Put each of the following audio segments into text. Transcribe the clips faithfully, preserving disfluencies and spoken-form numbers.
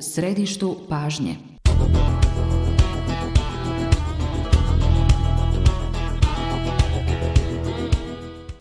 središtu pažnje.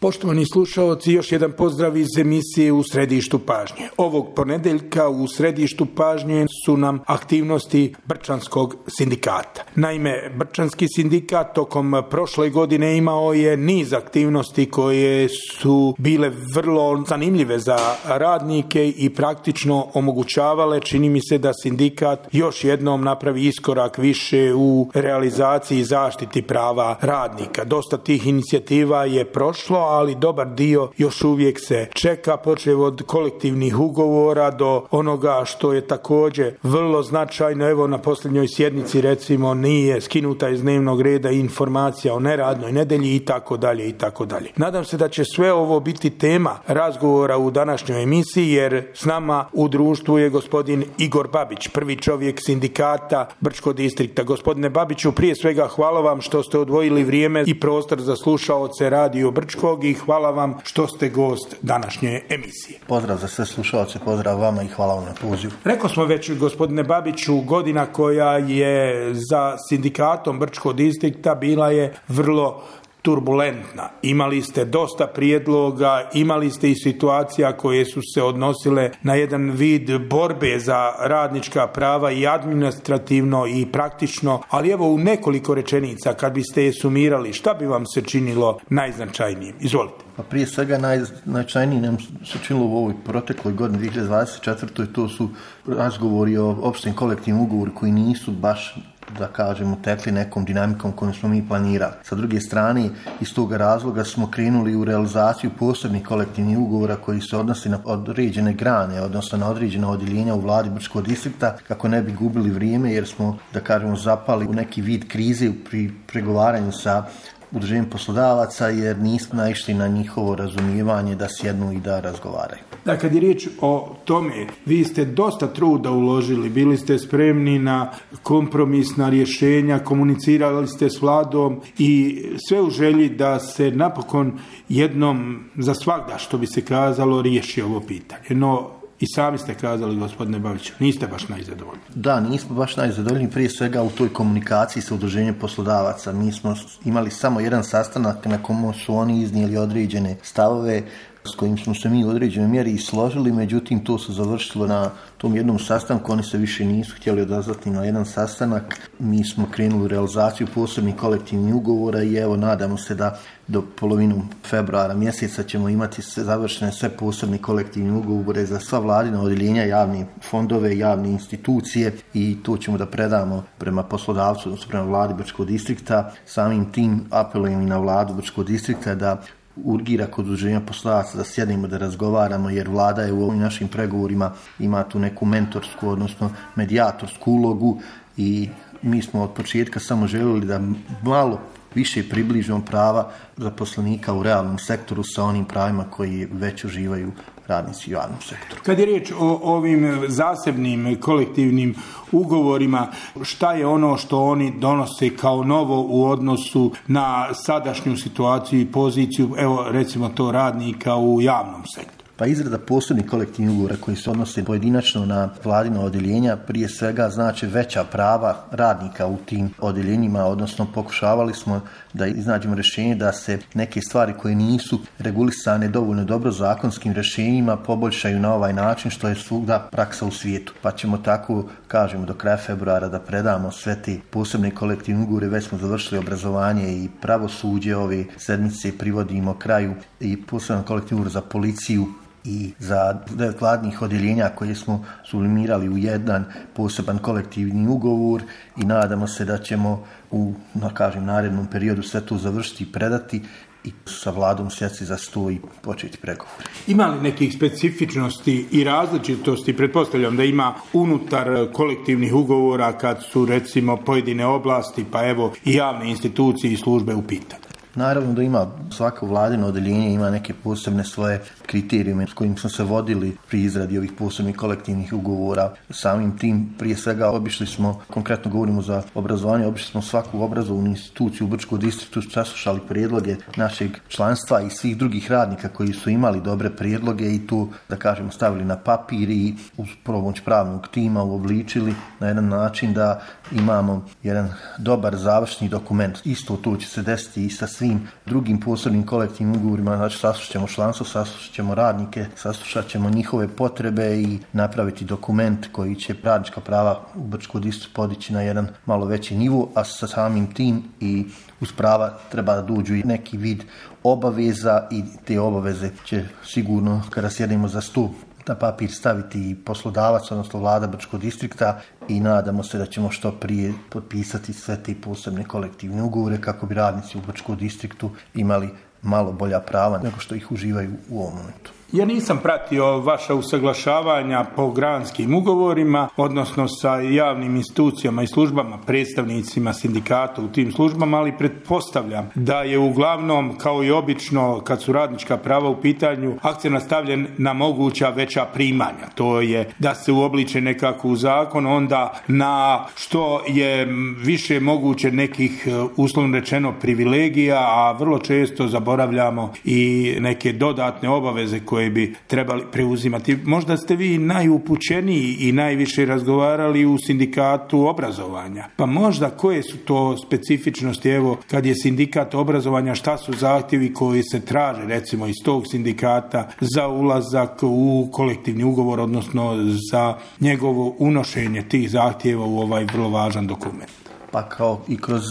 Poštovani slušaoci, još jedan pozdrav iz emisije U središtu pažnje. Ovog ponedjeljka u središtu pažnje su nam aktivnosti Brčanskog sindikata. Naime, Brčanski sindikat tokom prošle godine imao je niz aktivnosti koje su bile vrlo zanimljive za radnike i praktično omogućavale, čini mi se, da sindikat još jednom napravi iskorak više u realizaciji i zaštiti prava radnika. Dosta tih inicijativa je prošlo, ali dobar dio još uvijek se čeka, počev od kolektivnih ugovora do onoga što je također vrlo značajno. Evo, na posljednjoj sjednici recimo nije skinuta iz dnevnog reda informacija o neradnoj nedelji i tako dalje i tako dalje. Nadam se da će sve ovo biti tema razgovora u današnjoj emisiji, jer s nama u društvu je gospodin Igor Babić, prvi čovjek sindikata Brčkog distrikta. Gospodine Babiću, prije svega hvala vam što ste odvojili vrijeme i prostor za slušaoce Radio Brčkog i hvala vam što ste gost današnje emisije. Pozdrav za sve slušaoce, pozdrav vama i hvala vam na pozivu. Rekao smo već, gospodine Babiću, godina koja je za sindikatom Brčkog distrikta bila je vrlo turbulentna. Imali ste dosta prijedloga, imali ste i situacija koje su se odnosile na jedan vid borbe za radnička prava i administrativno i praktično, ali evo u nekoliko rečenica kad biste je sumirali, šta bi vam se činilo najznačajnijim? Izvolite. Pa prije svega najznačajnije nam se činilo u ovoj protekloj godini dvije hiljade dvadeset četvrtoj. To su razgovori o opštem kolektivnom ugovoru koji nisu baš, da kažemo, tekli nekom dinamikom kojom smo mi planirali. Sa druge strane, iz toga razloga smo krenuli u realizaciju posebnih kolektivnih ugovora koji se odnosi na određene grane, odnosno na određena odjeljenja u vladi Brčkog distrikta, kako ne bi gubili vrijeme, jer smo, da kažemo, zapali u neki vid krize pri pregovaranju sa udruženjem poslodavaca, jer nismo naišli na njihovo razumijevanje da sjednu i da razgovaraju. Da, kad je riječ o tome, vi ste dosta truda uložili, bili ste spremni na kompromisna rješenja, komunicirali ste s vladom i sve u želji da se napokon jednom za svagda, što bi se kazalo, riješi ovo pitanje. No, i sami ste kazali, gospodine Babiću, niste baš najzadovoljni. Da, nismo baš najzadovoljni, prije svega u toj komunikaciji sa udruženjem poslodavaca. Mi smo imali samo jedan sastanak na kojem su oni iznijeli određene stavove s kojim smo se mi u određenoj mjeri i složili, međutim to se završilo na tom jednom sastanku, oni se više nisu htjeli odazvati na jedan sastanak. Mi smo krenuli u realizaciju posebnih kolektivnih ugovora i evo nadamo se da do polovinu februara mjeseca ćemo imati sve završene sve posebne kolektivne ugovore za sva vladina odjeljenja, javne fondove, javne institucije i to ćemo da predamo prema poslodavcu, odnosno prema vladi Brčkog distrikta. Samim tim apelujem i na vladu Brčkog distrikta da urgira kod udruženja poslodavaca da sjednemo da razgovaramo, jer vlada je u ovim našim pregovorima ima tu neku mentorsku, odnosno medijatorsku ulogu i mi smo od početka samo željeli da malo više približimo prava zaposlenika u realnom sektoru sa onim pravima koji već uživaju radnici u javnom sektoru. Kad je riječ o ovim zasebnim kolektivnim ugovorima, šta je ono što oni donose kao novo u odnosu na sadašnju situaciju i poziciju, evo recimo to, radnika u javnom sektoru? Pa izrada posebnih kolektivnih ugovora koji se odnose pojedinačno na vladina odjeljenja prije svega znači veća prava radnika u tim odjeljenjima, odnosno pokušavali smo da iznađemo rješenje da se neke stvari koje nisu regulisane dovoljno dobro zakonskim rješenjima poboljšaju na ovaj način, što je svugda praksa u svijetu. Pa ćemo tako, kažemo, do kraja februara da predamo sve te posebne kolektivne ugovore. Već smo završili obrazovanje i pravosuđe, ove sedmice privodimo kraju i poseban kolektivni ugovor za policiju i za devet vladnih odjeljenja koje smo sublimirali u jedan poseban kolektivni ugovor i nadamo se da ćemo u, da kažem, narednom periodu sve to završiti i predati i sa vladom sjesti za sto i početi pregovore. Ima li nekih specifičnosti i različitosti, pretpostavljam da ima unutar kolektivnih ugovora kad su recimo pojedine oblasti, pa evo i javne institucije i službe u pitanju? Naravno da ima svako vladino odeljenje ima neke posebne svoje kriterijume s kojim smo se vodili pri izradi ovih posebnih kolektivnih ugovora. Samim tim prije svega obišli smo, konkretno govorimo za obrazovanje, obišli smo svaku obrazovnu instituciju u Brčkom distriktu, saslušali prijedloge našeg članstva i svih drugih radnika koji su imali dobre prijedloge i tu, da kažemo, stavili na papir i uz pomoć pravnog tima uobličili na jedan način da imamo jedan dobar završni dokument. Isto to će se desiti i sa svim drugim posebnim kolektivnim ugovorima, znači saslušat ćemo članstvo, saslušat ćemo radnike, saslušat ćemo njihove potrebe i napraviti dokument koji će radnička prava u Brčkom distriktu podići na jedan malo veći nivo, a sa samim tim i uz prava treba da dođu i neki vid obaveza i te obaveze će sigurno kada sjedemo za sto na papir staviti i poslodavac, odnosno vlada Brčkog distrikta i nadamo se da ćemo što prije potpisati sve te posebne kolektivne ugovore kako bi radnici u Brčkom distriktu imali malo bolja prava nego što ih uživaju u ovom momentu. Ja nisam pratio vaša usaglašavanja po granskim ugovorima, odnosno sa javnim institucijama i službama, predstavnicima sindikata u tim službama, ali pretpostavljam da je uglavnom, kao i obično, kad su radnička prava u pitanju, akcent nastavljen na moguća veća primanja. To je da se uobliče nekako u zakon, onda na što je više moguće nekih, uslovno rečeno, privilegija, a vrlo često zaboravljamo i neke dodatne obaveze koje koje bi trebali preuzimati. Možda ste vi najupućeniji i najviše razgovarali u sindikatu obrazovanja. Pa možda koje su to specifičnosti, evo, kad je sindikat obrazovanja, šta su zahtjevi koji se traže, recimo, iz tog sindikata za ulazak u kolektivni ugovor, odnosno za njegovo unošenje tih zahtjeva u ovaj vrlo važan dokument? Pa kao i kroz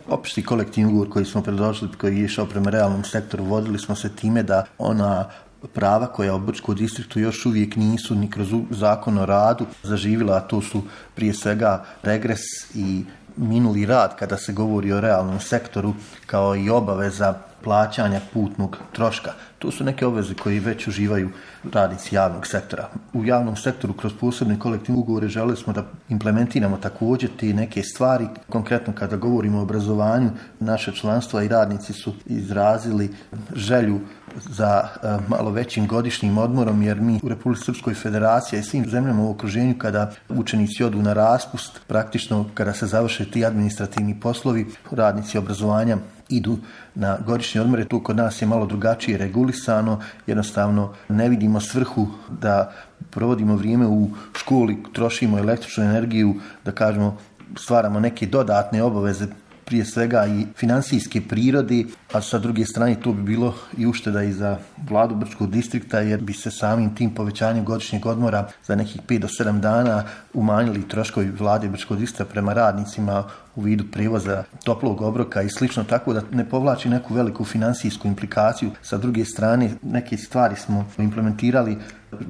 opšti kolektivni ugovor koji smo predložili, koji je išao prema realnom sektoru, vodili smo se time da ona prava koja u Brčkom distriktu još uvijek nisu ni kroz zakon o radu zaživjela, a to su prije svega regres i minuli rad kada se govori o realnom sektoru, kao i obaveza plaćanja putnog troška. To su neke obveze koje već uživaju radnici javnog sektora. U javnom sektoru kroz posebne kolektivne ugovore želeli smo da implementiramo također te neke stvari. Konkretno kada govorimo o obrazovanju, naše članstvo i radnici su izrazili želju za uh, malo većim godišnjim odmorom, jer mi u Republici Srpskoj Federaciji i svim zemljama u okruženju, kada učenici odu na raspust, praktično kada se završe ti administrativni poslovi, radnici obrazovanja idu na godišnje odmore. Tu kod nas je malo drugačije regulisano, jednostavno ne vidimo svrhu da provodimo vrijeme u školi, trošimo električnu energiju, da kažemo stvaramo neke dodatne obaveze, prije svega i financijske prirode, a sa druge strane to bi bilo i ušteda i za vladu Brčkog distrikta, jer bi se samim tim povećanjem godišnjeg odmora za nekih pet do sedam dana umanjili troškovi vlade Brčkog distrikta prema radnicima u vidu prijevoza toplog obroka i slično, tako da ne povlači neku veliku financijsku implikaciju. Sa druge strane, neke stvari smo implementirali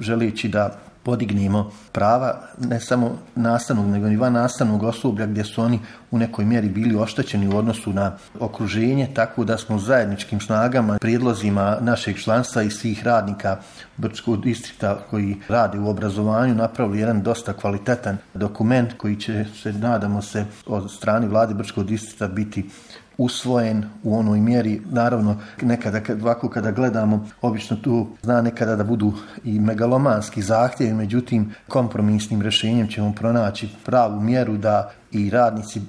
želeći da podignemo prava ne samo nastavnog, nego i van nastavnog osoblja, gdje su oni u nekoj mjeri bili oštećeni u odnosu na okruženje, tako da smo zajedničkim snagama, prijedlozima našeg članstva i svih radnika Brčkog distrikta koji rade u obrazovanju napravili jedan dosta kvalitetan dokument koji će se, nadamo se, od strane vlade Brčkog distrikta biti usvojen u onoj mjeri. Naravno, nekada ovako kada gledamo, obično tu zna nekada da budu i megalomanski zahtjevi, međutim kompromisnim rješenjem ćemo pronaći pravu mjeru da i radnici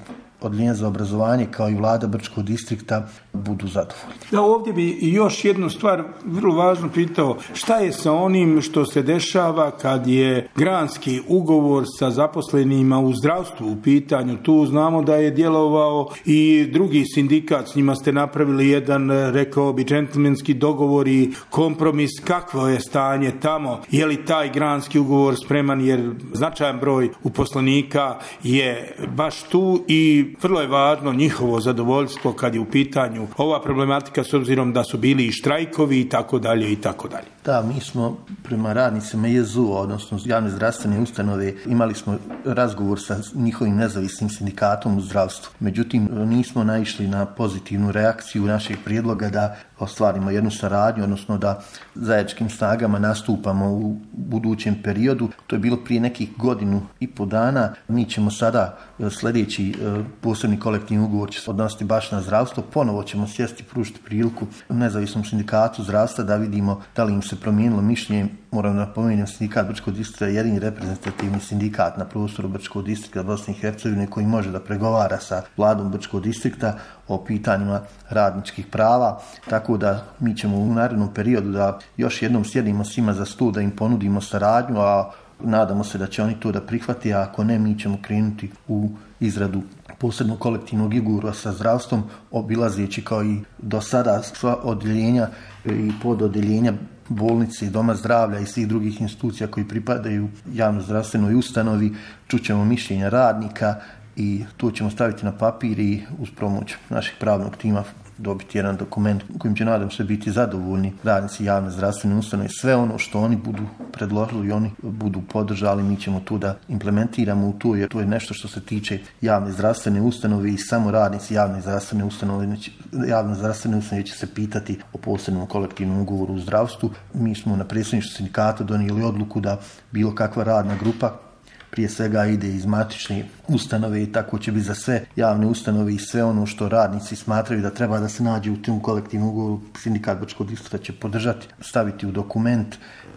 Odeljenja za obrazovanje kao i vlada Brčkog distrikta budu zadovoljni. Da, ovdje bi još jednu stvar vrlo važno pitao, šta je sa onim što se dešava kad je granski ugovor sa zaposlenima u zdravstvu u pitanju? Tu znamo da je djelovao i drugi sindikat, s njima ste napravili jedan, rekao bi, džentlmenski dogovor i kompromis. Kakvo je stanje tamo? Je li taj granski ugovor spreman, jer značajan broj uposlenika je baš tu i vrlo je važno njihovo zadovoljstvo kad je u pitanju ova problematika, s obzirom da su bili i štrajkovi i tako dalje i tako dalje. Da, mi smo prema radnicima J Z U, odnosno javne zdravstvene ustanove, imali smo razgovor sa njihovim nezavisnim sindikatom u zdravstvu. Međutim, nismo naišli na pozitivnu reakciju našeg prijedloga da ostvarimo jednu saradnju, odnosno da zajedničkim snagama nastupamo u budućem periodu. To je bilo prije nekih godinu i po dana. Mi ćemo sada sljedeći posebni kolektivni ugovor će se odnositi baš na zdravstvo. Ponovo ćemo sjesti i pružiti priliku nezavisnom sindikatu zdravstva da vidimo da li im se promijenilo mišljenje. Moram da napomenem, sindikat Brčkog distrikta je jedini reprezentativni sindikat na prostoru Brčkog distrikta Bosne i Hercegovine koji može da pregovara sa vladom Brčkog distrikta o pitanjima radničkih prava, tako da mi ćemo u narednom periodu da još jednom sjedimo svima za stol, da im ponudimo saradnju, a nadamo se da će oni to da prihvati, a ako ne, mi ćemo krenuti u izradu posebnog kolektivnog ugovora sa zdravstvom, obilazeći kao i do sada sva odjeljenja i pododjeljenja bolnice, doma zdravlja i svih drugih institucija koji pripadaju javno zdravstvenoj ustanovi. Čućemo mišljenja radnika i to ćemo staviti na papir i uz pomoć našeg pravnog tima dobiti jedan dokument kojim će, nadam se, biti zadovoljni radnici javne zdravstvene ustanove. Sve ono što oni budu predložili i oni budu podržali, mi ćemo tu da implementiramo u to, jer to je nešto što se tiče javne zdravstvene ustanove i samo radnici javne zdravstvene ustanove, javne zdravstvene ustanove će se pitati o posebnom kolektivnom ugovoru u zdravstvu. Mi smo na predsjedništvu sindikata donijeli odluku da bilo kakva radna grupa prije svega ide iz matične ustanove i tako će biti za sve javne ustanove i sve ono što radnici smatraju da treba da se nađe u tom kolektivnom ugovoru. Sindikat Brčkog distrikta će podržati, staviti u dokument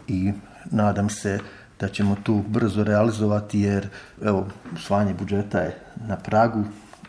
i nadam se da ćemo tu brzo realizovati, jer evo, usvajanje budžeta je na pragu.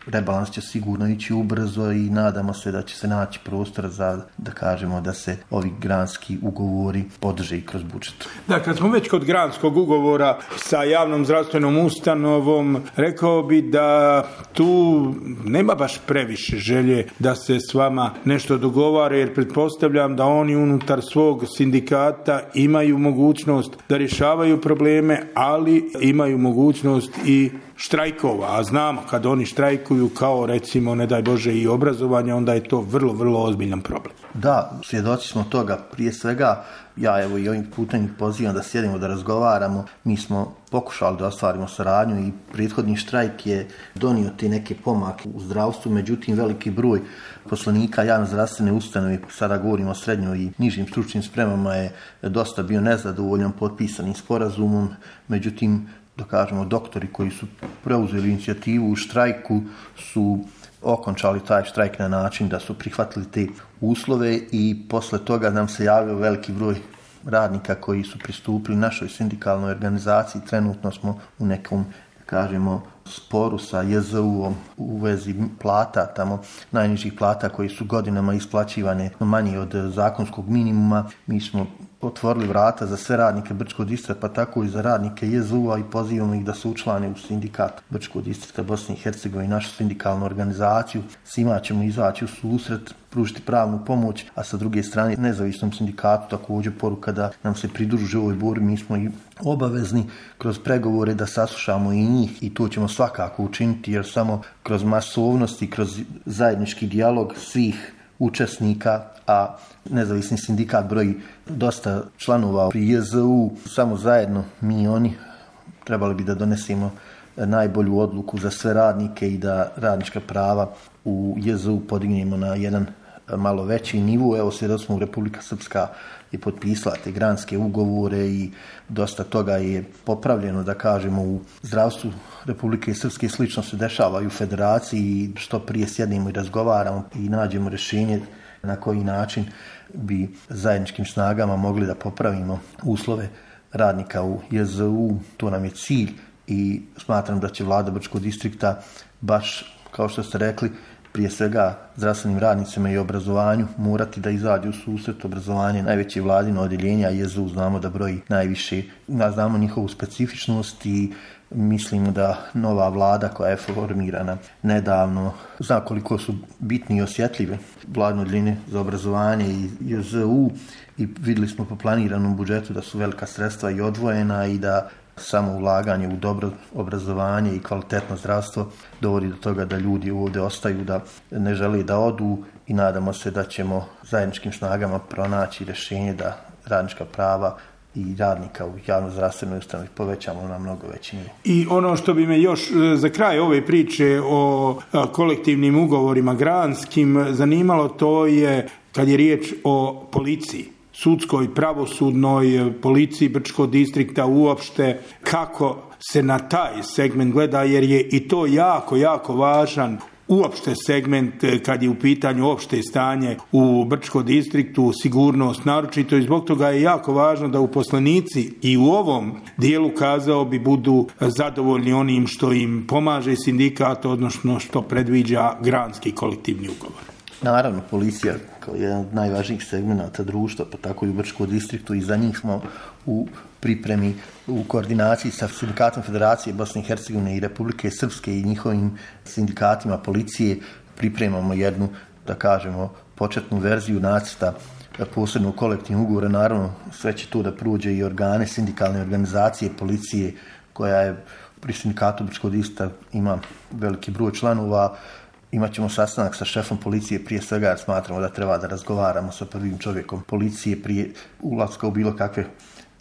Rebalans će sigurno ići ubrzo i nadamo se da će se naći prostor za, da kažemo, da se ovi granski ugovori podrže i kroz budžet. Da, kad smo već kod granskog ugovora sa javnom zdravstvenom ustanovom, rekao bi da tu nema baš previše želje da se s vama nešto dogovara, jer pretpostavljam da oni unutar svog sindikata imaju mogućnost da rješavaju probleme, ali imaju mogućnost i štrajkova, a znamo kad oni štrajkuju kao recimo, ne daj Bože, i obrazovanje, onda je to vrlo, vrlo ozbiljan problem. Da, svjedoci smo toga. Prije svega, ja evo i ovim putem pozivam da sjedimo, da razgovaramo. Mi smo pokušali da ostvarimo saradnju i prethodni štrajk je donio te neke pomake u zdravstvu, međutim veliki broj poslanika javne zdravstvene ustanove, sada govorimo o srednjoj i nižim stručnim spremama, je dosta bio nezadovoljan potpisanim sporazumom, međutim da kažemo, doktori koji su preuzeli inicijativu u štrajku su okončali taj štrajk na način da su prihvatili te uslove i posle toga nam se javio veliki broj radnika koji su pristupili našoj sindikalnoj organizaciji. Trenutno smo u nekom, kažemo, sporu sa J Z U-om u vezi plata, tamo najnižih plata koji su godinama isplaćivane manje od zakonskog minimuma. Mi smo otvorili vrata za sve radnike Brčkog distrikta, pa tako i za radnike J Z U-a i pozivamo ih da se učlane u sindikat Brčkog distrikta Bosne i Hercegovine i našu sindikalnu organizaciju. Svima ćemo izaći u susret, pružiti pravnu pomoć, a sa druge strane nezavisnom sindikatu također poruka da nam se pridruže ovoj borbi. Mi smo i obavezni kroz pregovore da saslušamo i njih i to ćemo svakako učiniti, jer samo kroz masovnost i kroz zajednički dijalog svih učesnika, a nezavisni sindikat broji dosta članova pri J Z U, samo zajedno mi i oni trebali bi da donesemo najbolju odluku za sve radnike i da radnička prava u J Z U podignemo na jedan malo veći nivo. Evo, svjedoci smo, Republika Srpska je potpisala te granske ugovore i dosta toga je popravljeno, da kažemo, u zdravstvu Republike Srpske. Slično se dešava i u federaciji i što prije sjednemo i razgovaramo i nađemo rješenje na koji način bi zajedničkim snagama mogli da popravimo uslove radnika u J Z U. To nam je cilj i smatram da će vlada Brčkog distrikta baš, kao što ste rekli, prije svega zdravstvenim radnicima i obrazovanju morati da izađu u susret. Obrazovanje najveće vladino odjeljenje, a J Z U znamo da broji najviše, znamo njihovu specifičnost i mislimo da nova vlada koja je formirana nedavno zna koliko su bitni i osjetljive vladine odjeljenje za obrazovanje i J Z U i vidjeli smo po planiranom budžetu da su velika sredstva i odvojena i da samo ulaganje u dobro obrazovanje i kvalitetno zdravstvo dovodi do toga da ljudi ovdje ostaju, da ne žele da odu i nadamo se da ćemo zajedničkim snagama pronaći rješenje da radnička prava i radnika u javno-zdravstvenoj ustanovi povećamo na mnogo veći nivo. I ono što bi me još za kraj ove priče o kolektivnim ugovorima granskim zanimalo, to je kad je riječ o policiji, sudskoj, pravosudnoj policiji Brčkog distrikta uopšte, kako se na taj segment gleda, jer je i to jako, jako važan uopšte segment kad je u pitanju opšte stanje u Brčkom distriktu, sigurnost naročito, i zbog toga je jako važno da uposlenici i u ovom dijelu, kazao bi, budu zadovoljni onim što im pomaže sindikat, odnosno što predviđa granski kolektivni ugovor. Naravno, policija kao jedan od najvažnijih segmenata društva, pa tako i u Brčkom distriktu, i za njih smo u pripremi, u koordinaciji sa Sindikatom Federacije Bosne i Hercegovine i Republike Srpske i njihovim sindikatima policije pripremamo jednu, da kažemo, početnu verziju nacrta posebnog kolektivnog ugovora. Naravno, sve će tu da prođe i organe, sindikalne organizacije policije, koja je pri Sindikatu Brčkog distrikta ima veliki broj članova. Imat ćemo sastanak sa šefom policije prije svega, jer smatramo da treba da razgovaramo sa prvim čovjekom policije prije ulaska u bilo kakve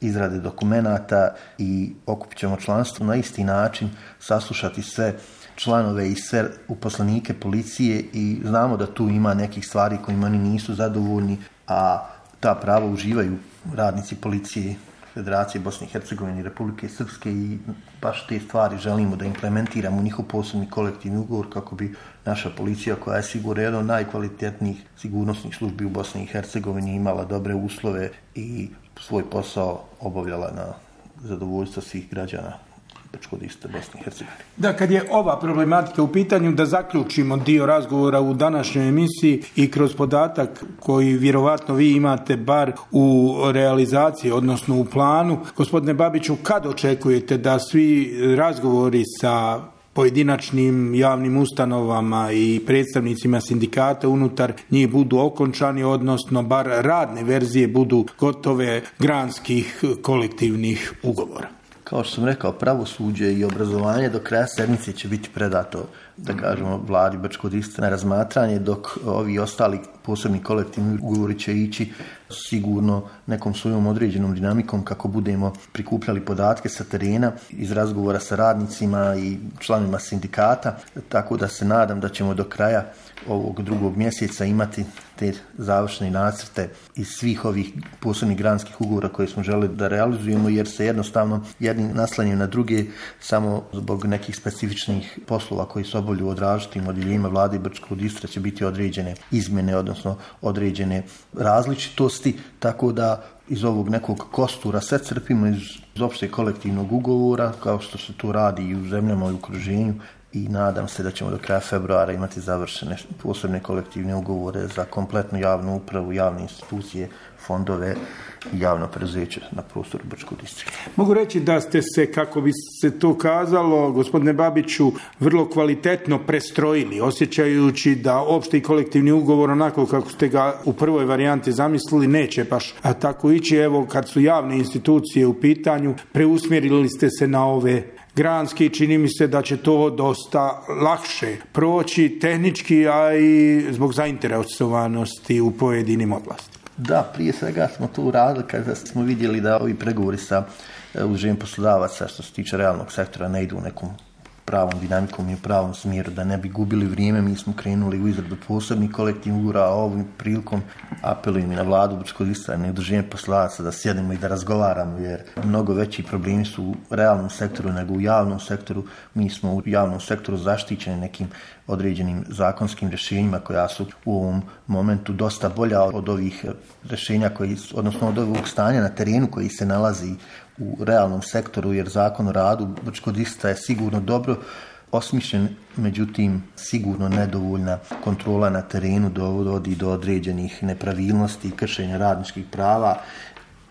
izrade dokumenata i okupit ćemo članstvo na isti način, saslušati sve članove i sve uposlenike policije, i znamo da tu ima nekih stvari kojima oni nisu zadovoljni, a ta prava uživaju radnici policije Federacije Bosne i Hercegovine i Republike Srpske, i baš te stvari želimo da implementiramo u njihov posebni kolektivni ugovor kako bi naša policija, koja je sigurno jedan od najkvalitetnijih sigurnosnih službi u Bosni i Hercegovini, imala dobre uslove i svoj posao obavljala na zadovoljstvo svih građana Brčkog distrikta Bosne i Hercegovine. Da, kad je ova problematika u pitanju, da zaključimo dio razgovora u današnjoj emisiji i kroz podatak koji vjerovatno vi imate bar u realizaciji, odnosno u planu. Gospodine Babiću, kad očekujete da svi razgovori sa pojedinačnim javnim ustanovama i predstavnicima sindikata unutar njih budu okončani, odnosno bar radne verzije budu gotove granskih kolektivnih ugovora? Kao što sam rekao, pravosuđe i obrazovanje do kraja sedmice će biti predato, da kažemo, vladi Brčkog distrikta na razmatranje, dok ovi ostali posebni kolektivni ugovori će ići sigurno nekom svojom određenom dinamikom kako budemo prikupljali podatke sa terena iz razgovora sa radnicima i članovima sindikata, tako da se nadam da ćemo do kraja ovog drugog mjeseca imati te završne nacrte iz svih ovih posebnih granskih ugovora koje smo želeli da realizujemo, jer se jednostavno jedni naslanjaju na druge samo zbog nekih specifičnih poslova koji se obavljaju od različitim odjeljenjima vlade Brčkog distrikta će biti određene izmjene, odnosno određene različitosti, tako da iz ovog nekog kostura sve crpimo iz opšte kolektivnog ugovora, kao što se to radi i u zemljama i u okruženju, i nadam se da ćemo do kraja februara imati završene posebne kolektivne ugovore za kompletnu javnu upravu, javne institucije, fondove i javno preduzeće na prostoru Brčkog distrikta. Mogu reći da ste se, kako bi se to kazalo, gospodine Babiću, vrlo kvalitetno prestrojili, osjećajući da opšti kolektivni ugovor, onako kako ste ga u prvoj varijanti zamislili, neće baš a tako ići. Evo, kad su javne institucije u pitanju, preusmjerili ste se na ove granski, čini mi se da će to dosta lakše proći tehnički, a i zbog zainteresovanosti u pojedinim oblastima. Da, prije svega smo to uradili kada smo vidjeli da ovi pregovori sa udruženjem poslodavaca što se tiče realnog sektora ne idu u nekom pravom dinamikom i u pravom smjeru, da ne bi gubili vrijeme. Mi smo krenuli u izradu posebnih kolektivnih ugovora, a ovom prilikom apelujem i na vladu Brčkog distrikta i udruženje poslodavaca da sjedimo i da razgovaramo, jer mnogo veći problemi su u realnom sektoru nego u javnom sektoru. Mi smo u javnom sektoru zaštićeni nekim određenim zakonskim rješenjima koja su u ovom momentu dosta bolja od ovih rješenja, koji, odnosno od ovog stanja na terenu koji se nalazi u realnom sektoru, jer zakon o radu Brčkog distrikta je sigurno dobro osmišljen, međutim sigurno nedovoljna kontrola na terenu dovodi do određenih nepravilnosti i kršenja radničkih prava,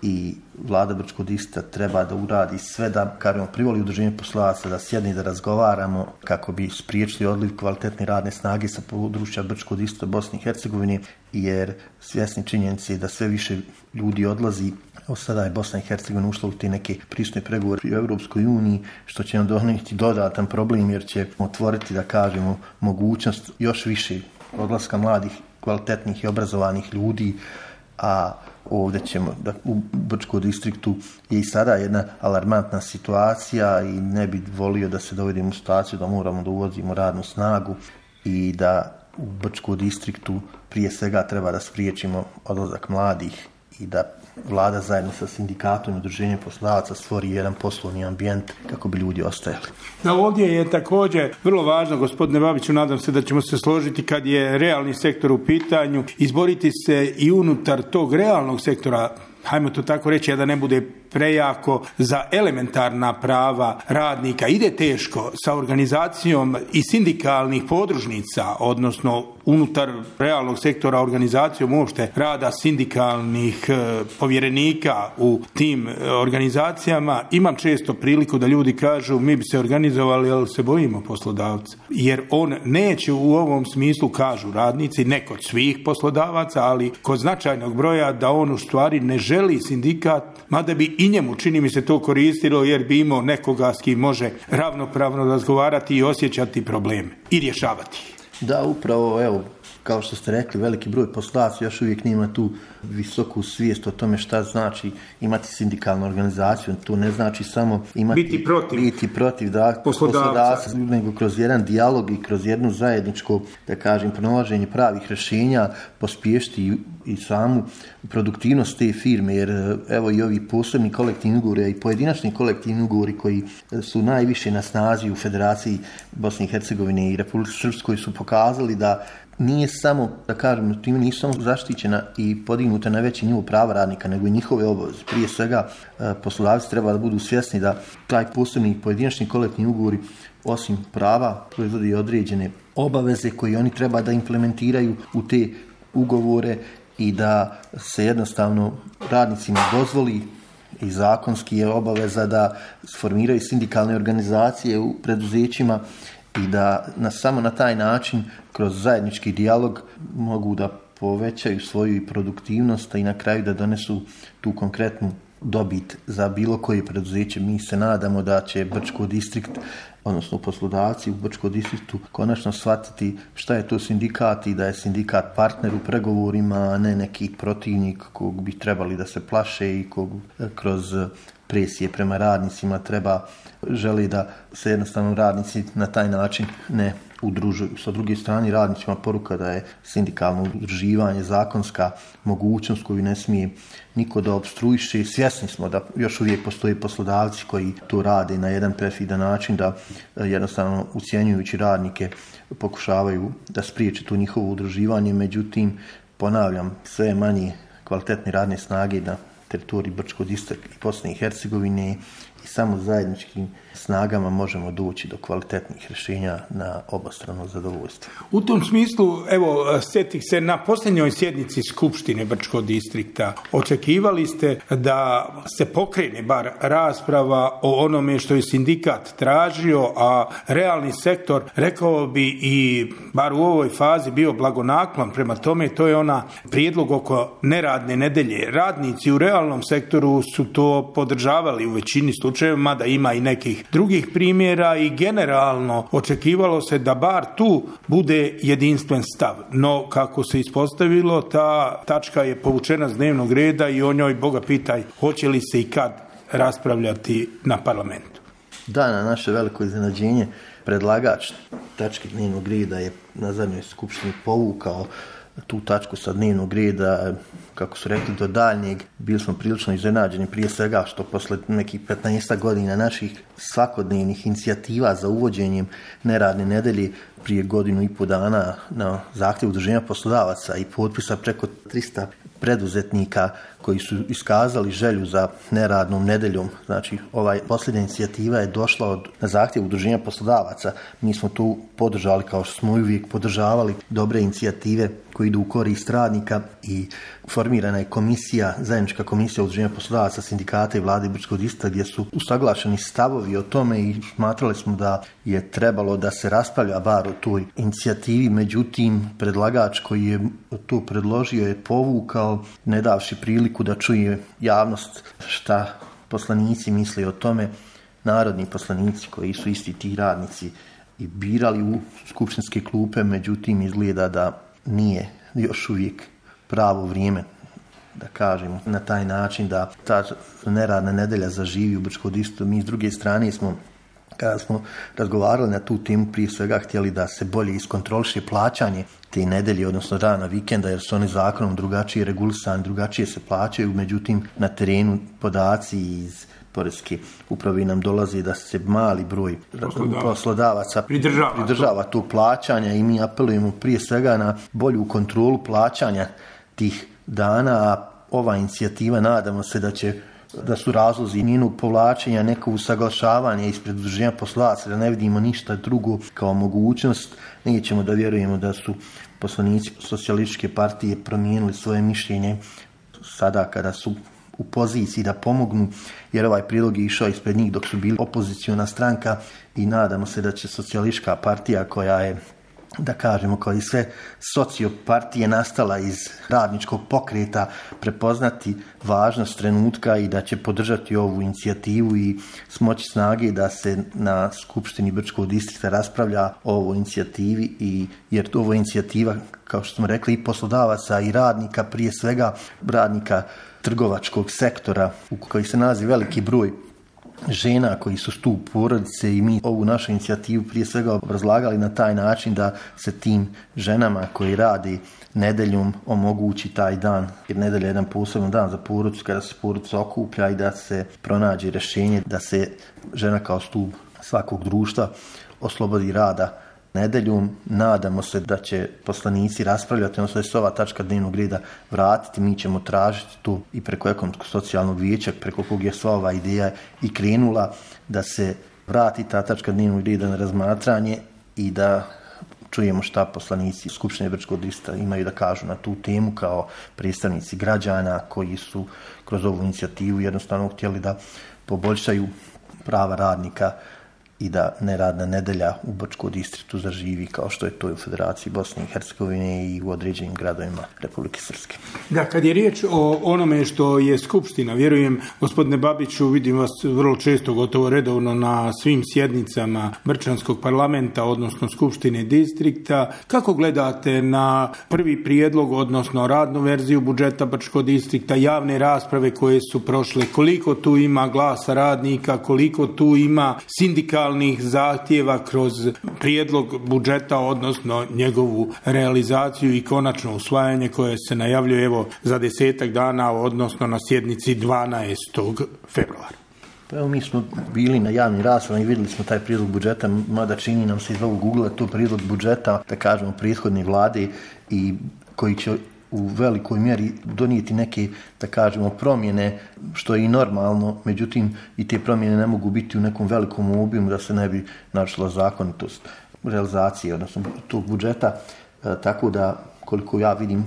i vlada Brčkog distrikta treba da uradi sve da, kažemo, privoli udruženje poslodavaca da sjedne i da razgovaramo kako bi spriječili odliv kvalitetne radne snage sa područja Brčkog distrikta Bosne i Hercegovine, jer svjesni činjenice da sve više ljudi odlazi. Evo sada je Bosna i Hercegovina ušla u te neke pristupne pregovore u Europskoj uniji, što će nam donijeti dodatan problem, jer će otvoriti, da kažemo, mogućnost još više odlaska mladih, kvalitetnih i obrazovanih ljudi a ovdje ćemo, da u Brčkom distriktu je i sada jedna alarmantna situacija i ne bi volio da se dovedemo u situaciju da moramo da uvozimo radnu snagu i da u Brčkom distriktu prije svega treba da spriječimo odlazak mladih i da vlada zajedno sa sindikatom i udruženjem poslodavaca stvori jedan poslovni ambijent kako bi ljudi ostajali. Da, ovdje je također vrlo važno, gospodine Babiću, nadam se da ćemo se složiti kad je realni sektor u pitanju, izboriti se i unutar tog realnog sektora, hajmo to tako reći, a da ne bude prejako, za elementarna prava radnika. Ide teško sa organizacijom i sindikalnih podružnica, odnosno unutar realnog sektora organizacijom uopšte rada sindikalnih e, povjerenika u tim e, organizacijama. Imam često priliku da ljudi kažu mi bi se organizovali, ali se bojimo poslodavca. Jer on neće u ovom smislu, kažu radnici, ne kod svih poslodavaca, ali kod značajnog broja, da on u stvari ne želi sindikat, mada bi i njemu, čini mi se, to koristilo jer bi imao nekoga s kim može ravnopravno razgovarati i osjećati probleme i rješavati. Da, upravo, evo, kao što ste rekli, veliki broj poslodavaca još uvijek nema tu visoku svijest o tome šta znači imati sindikalnu organizaciju. To ne znači samo imati, biti protiv, biti protiv da, poslodavca, nego kroz jedan dijalog i kroz jednu zajedničko, da kažem, pronalaženje pravih rješenja pospješiti i, i samu produktivnost te firme, jer evo i ovi posebni kolektivni ugovori i pojedinačni kolektivni ugovori koji su najviše na snazi u Federaciji Bosne i Hercegovine i Republike Srpskoj su pokazali da nije samo, da kažem, time nisu samo zaštićena i podignuta na veći nivo prava radnika, nego i njihove obaveze. Prije svega, poslodavci treba da budu svjesni da taj posebni pojedinačni kolektivni ugovori, osim prava, proizvodi određene obaveze koje oni treba da implementiraju u te ugovore i da se jednostavno radnicima dozvoli i zakonski je obaveza da sformiraju sindikalne organizacije u preduzećima i da na, samo na taj način, kroz zajednički dijalog, mogu da povećaju svoju produktivnost i na kraju da donesu tu konkretnu dobit za bilo koje preduzeće. Mi se nadamo da će Brčko distrikt, odnosno poslodavci u Brčkom distriktu, konačno shvatiti šta je to sindikat i da je sindikat partner u pregovorima, a ne neki protivnik kog bi trebali da se plaše i kog kroz presije prema radnicima treba, želi da se jednostavno radnici na taj način ne udružuju. Sa druge strane, radnicima poruka da je sindikalno udruživanje zakonska mogućnost koju ne smije niko da opstruiše. Svjesni smo da još uvijek postoje poslodavci koji to rade na jedan perfidan način, da jednostavno ucjenjujući radnike pokušavaju da spriječe to njihovo udruživanje. Međutim, ponavljam, sve manje kvalitetne radne snage na teritoriji Brčkog distrikta i Bosne i Hercegovine i samo zajedničkim snagama možemo doći do kvalitetnih rješenja na obostrano zadovoljstvo. U tom smislu, evo, sjetih se na posljednjoj sjednici Skupštine Brčkog distrikta. Očekivali ste da se pokrene bar rasprava o onome što je sindikat tražio, a realni sektor, rekao bi, i bar u ovoj fazi bio blagonaklon prema tome. To je ona prijedlog oko neradne nedelje. Radnici u realnom sektoru su to podržavali u većini slučajeva, mada ima i nekih drugih primjera, i generalno očekivalo se da bar tu bude jedinstven stav. No, kako se ispostavilo, ta tačka je povučena s dnevnog reda i o njoj, Boga pitaj, hoće li se i kad raspravljati na parlamentu. Da, na naše veliko iznenađenje, predlagač tačke dnevnog reda je na zadnjoj skupštini povukao tu tačku sa dnevnog reda, kako su rekli, do daljnjeg. Bili smo prilično iznenađeni, prije svega što posle nekih petnaest godina naših svakodnevnih inicijativa za uvođenjem neradne nedelje, prije godinu i po dana na zahtjev udruženja poslodavaca i potpisa preko tristo preduzetnika koji su iskazali želju za neradnom nedeljom. Znači, ovaj posljednja inicijativa je došla od, na zahtjev udruženja poslodavaca. Mi smo tu podržali, kao što smo uvijek podržavali, dobre inicijative koji idu u korist radnika, i formirana je komisija, zajednička komisija udruženja poslodavaca, sindikata i vlade Brčkog distrikta, gdje su usaglašeni stavovi o tome i smatrali smo da je trebalo da se raspravlja bar o toj inicijativi. Međutim, predlagač koji je to predložio je povukao, ne davši priliku da čuje javnost šta poslanici misle o tome, narodni poslanici koji su isti ti radnici i birali u skupštinske klupe. Međutim, izgleda da nije još uvijek pravo vrijeme da kažem, na taj način da ta neradna nedelja zaživi u Brčkom distriktu. Mi s druge strane smo, kada smo razgovarali na tu temu, prije svega htjeli da se bolje iskontroliše plaćanje te nedelje, odnosno dana vikenda, jer su oni zakonom drugačije regulisani, drugačije se plaćaju, međutim na terenu podaci iz Poreske uprave nam dolazi da se mali broj poslodavaca, poslodavaca pridržava, pridržava tu plaćanja i mi apelujemo prije svega na bolju kontrolu plaćanja tih dana, a ova inicijativa nadamo se da će da su razlozi njenog povlačenja neko usaglašavanje ispred udruženja poslodavaca, da ne vidimo ništa drugo kao mogućnost. Nećemo da vjerujemo da su poslanici socijalističke partije promijenili svoje mišljenje sada kada su u poziciji da pomognu, jer ovaj prijedlog je išao ispred njih dok su bili opoziciona stranka i nadamo se da će socijalistička partija, koja je, da kažemo, kao i sve sociopartije nastala iz radničkog pokreta, prepoznati važnost trenutka i da će podržati ovu inicijativu i smoći snage da se na Skupštini Brčkog distrikta raspravlja o ovoj inicijativi, i jer ovo je inicijativa, kao što smo rekli, i poslodavaca i radnika, prije svega radnika trgovačkog sektora u koji se nalazi veliki broj žena koji su stup porodice, i mi ovu našu inicijativu prije svega obrazlagali na taj način da se tim ženama koji radi nedeljom omogući taj dan, jer nedelja je jedan poseban dan za porodicu kada se porodica okuplja i da se pronađe rješenje da se žena kao stup svakog društva oslobodi rada nedeljom. Nadamo se da će poslanici raspravljati, odnosno da se ova tačka dnevnog reda vratiti. Mi ćemo tražiti tu i preko ekonomskog socijalnog vijeća, preko kog je sva ova ideja i krenula, da se vrati ta tačka dnevnog reda na razmatranje i da čujemo šta poslanici Skupštine Brčkog distrikta imaju da kažu na tu temu kao predstavnici građana koji su kroz ovu inicijativu jednostavno htjeli da poboljšaju prava radnika i da neradna nedelja u Brčkom distriktu zaživi kao što je to u Federaciji Bosne i Hercegovine i u određenim gradovima Republike Srpske. Da, kad je riječ o onome što je Skupština, vjerujem, gospodine Babiću, vidim vas vrlo često, gotovo redovno na svim sjednicama Brčanskog parlamenta, odnosno Skupštine distrikta. Kako gledate na prvi prijedlog, odnosno radnu verziju budžeta Brčkog distrikta, javne rasprave koje su prošle, koliko tu ima glasa radnika, koliko tu ima sindikalnih zahtjeva kroz prijedlog budžeta, odnosno njegovu realizaciju i konačno usvajanje koje se najavljuje evo za desetak dana, odnosno na sjednici dvanaestog februara? Pa evo, mi smo bili na javnim raspravama i vidjeli smo taj prijedlog budžeta, mada čini nam se iz ovog Google to prijedlog budžeta, da kažemo, prethodne vlade, i koji će u velikoj mjeri donijeti neke, da kažemo, promjene, što je i normalno, međutim i te promjene ne mogu biti u nekom velikom obimu da se ne bi narušila zakonitost realizacije, odnosno tog budžeta, e, tako da, koliko ja vidim,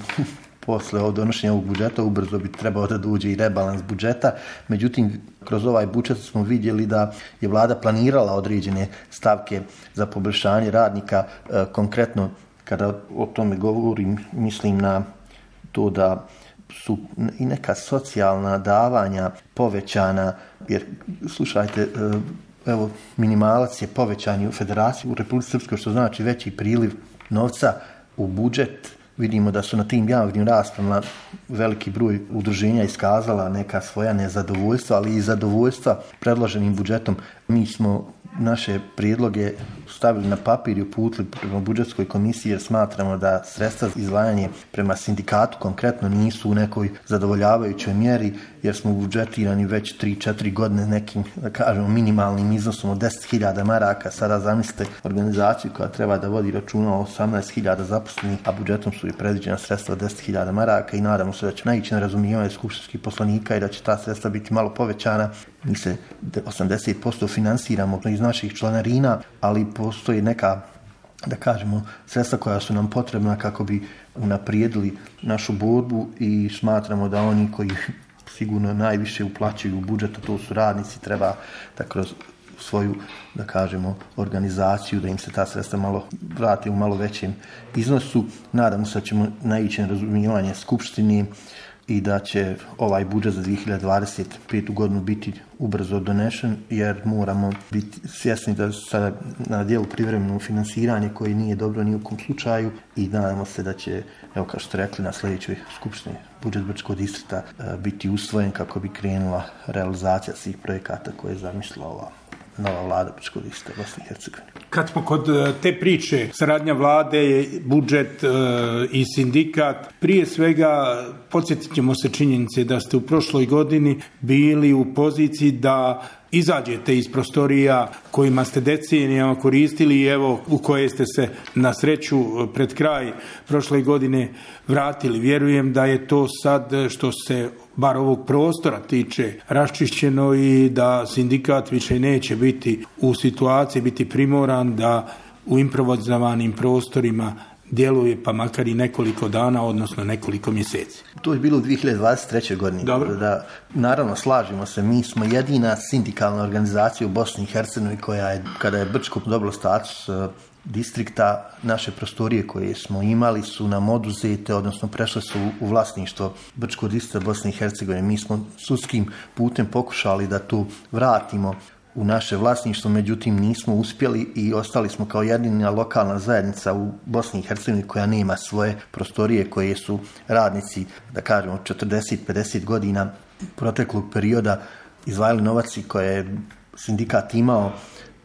posle od donošenja ovog budžeta ubrzo bi trebao da dođe i rebalans budžeta. Međutim, kroz ovaj budžet smo vidjeli da je vlada planirala određene stavke za poboljšanje radnika, e, konkretno kada o tome govorim, mislim na to da su i neka socijalna davanja povećana, jer slušajte, evo, minimalac je povećan u Federaciji u Republici Srpskoj, što znači veći priliv novca u budžet. Vidimo da su na tim javnim raspravama veliki broj udruženja iskazala neka svoja nezadovoljstva, ali i zadovoljstva predloženim budžetom. Mi smo naše prijedloge stavili na papir i uputili prema budžetskoj komisiji, jer smatramo da sredstva za izdvajanje prema sindikatu konkretno nisu u nekoj zadovoljavajućoj mjeri, jer smo budžetirani već tri četiri godine nekim, da kažemo, minimalnim iznosom od deset hiljada maraka. Sada zamislite organizaciju koja treba da vodi računa o osamnaest hiljada zaposlenih, a budžetom su i predviđena sredstva od deset hiljada maraka, i nadamo se da će naići na razumijevanje skupštinskih poslanika i da će ta sredstva biti malo povećana. Mi se osamdeset posto finansiramo iz naših članarina, ali postoji neka, da kažemo, sredstva koja su nam potrebna kako bi unaprijedili našu borbu, i smatramo da oni koji sigurno najviše uplaćuju u budžet, a to su radnici, treba da kroz svoju, da kažemo, organizaciju, da im se ta sredstva malo vrati u malo većem iznosu. Nadamo se da ćemo naići na razumijevanje Skupštini i da će ovaj budžet za dvije hiljade dvadeset petu godinu biti ubrzo donešen, jer moramo biti svjesni da sada na dijelu privremeno finansiranje koje nije dobro ni u kom slučaju i nadamo se da će, evo kao što ste rekli, na sljedećoj skupštini budžet Brčkog distrikta biti usvojen kako bi krenula realizacija svih projekata koje je zamislila ova nova vlada Brčkog distrikta Bosne i Hercegovine. Kad smo kod te priče, saradnja vlade, budžet e, i sindikat, prije svega podsjetit ćemo se činjenice da ste u prošloj godini bili u poziciji da izađete iz prostorija kojima ste decenijama koristili i evo u koje ste se na sreću pred kraj prošle godine vratili. Vjerujem da je to sad što se bar ovog prostora tiče raščišćeno i da sindikat više neće biti u situaciji, biti primoran da u improvizovanim prostorima djeluje pa makar i nekoliko dana, odnosno nekoliko mjeseci. To je bilo u dvije hiljade dvadeset trećoj godini. Dobro. Da, naravno, slažemo se, mi smo jedina sindikalna organizacija u Bosni i Hercegovini koja je, kada je Brčko dobilo status uh, distrikta, naše prostorije koje smo imali su nam oduzete, odnosno prešle su u vlasništvo Brčkog distrikta Bosne i Hercegovine. Mi smo sudskim putem pokušali da to vratimo u naše vlasništvo, međutim nismo uspjeli i ostali smo kao jedina lokalna zajednica u Bosni i Hercegovini koja nema svoje prostorije koje su radnici, da kažemo, četrdeset do pedeset godina proteklog perioda izdvajali novac i koje je sindikat imao.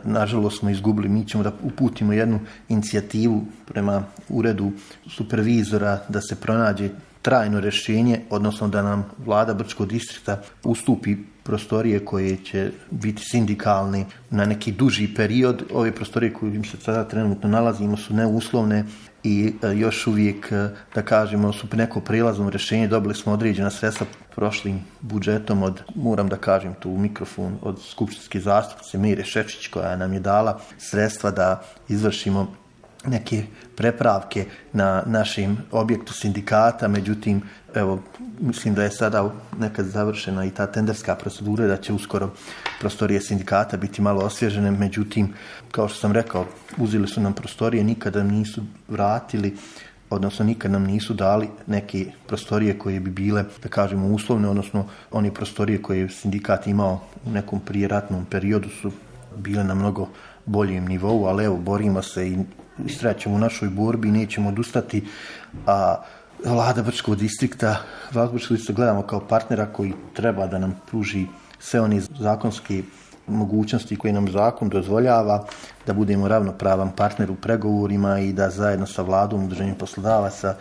Nažalost smo izgubili, mi ćemo da uputimo jednu inicijativu prema uredu supervizora da se pronađe trajno rješenje, odnosno da nam vlada Brčkog distrikta ustupi prostorije koje će biti sindikalne na neki duži period. Ove prostorije koje se sada trenutno nalazimo su neuslovne i još uvijek, da kažemo, su neko prijelazno rješenje. Dobili smo određena sredstva prošlim budžetom od, moram da kažem tu u mikrofon, od skupštinske zastupnice Mire Šečić koja nam je dala sredstva da izvršimo neke prepravke na našem objektu sindikata, međutim, evo, mislim da je sada nekad završena i ta tenderska procedura, da će uskoro prostorije sindikata biti malo osvježene, međutim, kao što sam rekao, uzeli su nam prostorije, nikada nisu vratili, odnosno nikad nam nisu dali neke prostorije koje bi bile, da kažemo, uslovne, odnosno one prostorije koje je sindikat imao u nekom prijeratnom periodu su bile na mnogo boljem nivou, ali evo, borimo se i istraćemo u našoj borbi i nećemo odustati, a vlada Brčkog distrikta, vlada Brčkog distrikta gledamo kao partnera koji treba da nam pruži sve one zakonske mogućnosti koje nam zakon dozvoljava, da budemo ravnopravan partner u pregovorima i da zajedno sa vladom, udruženjem poslodavaca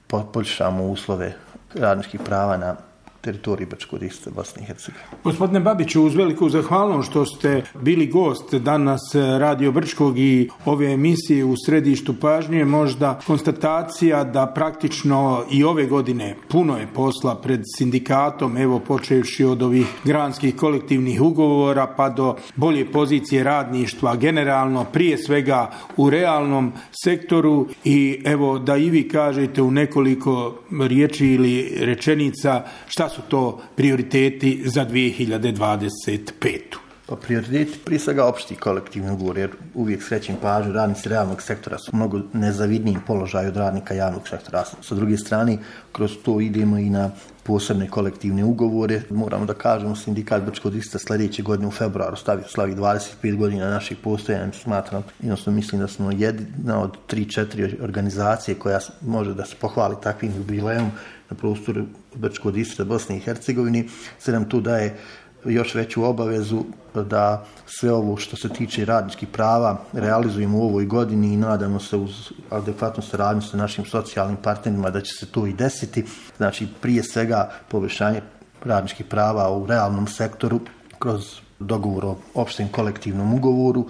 poboljšamo uslove radničkih prava na teritoriji Brčkog distrikta Bosne i Hercegovine. Gospodine Babiću, uz veliku zahvalnost što ste bili gost danas Radio Brčkog i ove emisije u središtu pažnje, možda konstatacija da praktično i ove godine puno je posla pred sindikatom, evo počevši od ovih granskih kolektivnih ugovora pa do bolje pozicije radništva, generalno prije svega u realnom sektoru i evo da i vi kažete u nekoliko riječi ili rečenica šta su to prioriteti za dvije hiljade dvadeset petu. Pa prioriteti prije svega opšti kolektivni ugovor, jer uvijek srećem pažnju, radnici realnog sektora su mnogo nezavidniji položaj od radnika javnog sektora. Sa druge strane, kroz to idemo i na posebne kolektivne ugovore. Moramo da kažemo, sindikat Brčkog distrikta sljedeće godine u februaru stavi slavi dvadeset pet godina naših postojanja. Smatram, jednostavno mislim da smo jedna od tri četiri organizacije koja može da se pohvali takvim jubilejom na prostoru Brčkog distrikta Bosne i Hercegovine. Sve nam tu daje još veću obavezu da sve ovo što se tiče radničkih prava realizujemo u ovoj godini i nadamo se uz adekvatnu saradnju sa našim socijalnim partnerima da će se to i desiti. Znači, prije svega poboljšanje radničkih prava u realnom sektoru kroz dogovor o opštem kolektivnom ugovoru,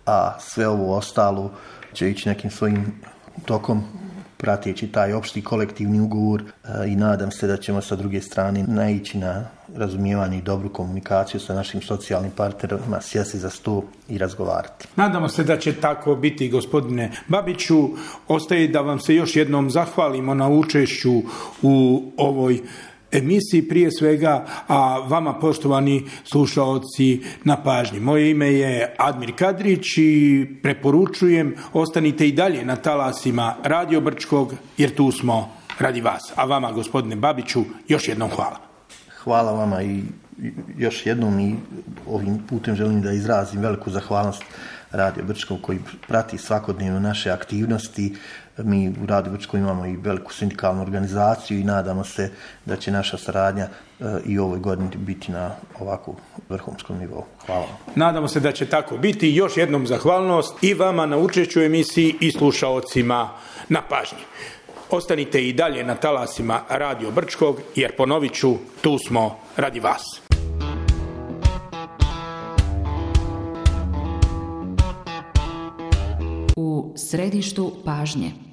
a sve ovo ostalo će ići nekim svojim tokom prateći taj opšti kolektivni ugovor i nadam se da ćemo sa druge strane naići na razumijevanje i dobru komunikaciju sa našim socijalnim partnerima, sjesti za sto i razgovarati. Nadamo se da će tako biti, gospodine Babiću. Ostaje da vam se još jednom zahvalimo na učešću u ovoj emisiji prije svega, a vama poštovani slušaoci na pažnji. Moje ime je Admir Kadrić i preporučujem ostanite i dalje na talasima Radio Brčkog jer tu smo radi vas. A vama, gospodine Babiću, još jednom hvala. Hvala vama i još jednom i ovim putem želim da izrazim veliku zahvalnost Radio Brčko koji prati svakodnevno naše aktivnosti. Mi u Radio Brčko imamo i veliku sindikalnu organizaciju i nadamo se da će naša saradnja i ovoj godini biti na ovako vrhunskom nivou. Hvala vam. Nadamo se da će tako biti. Još jednom zahvalnost i vama na učešću u emisiji i slušaocima na pažnji. Ostanite i dalje na talasima Radio Brčkog, jer ponovit ću, tu smo radi vas. U središtu pažnje.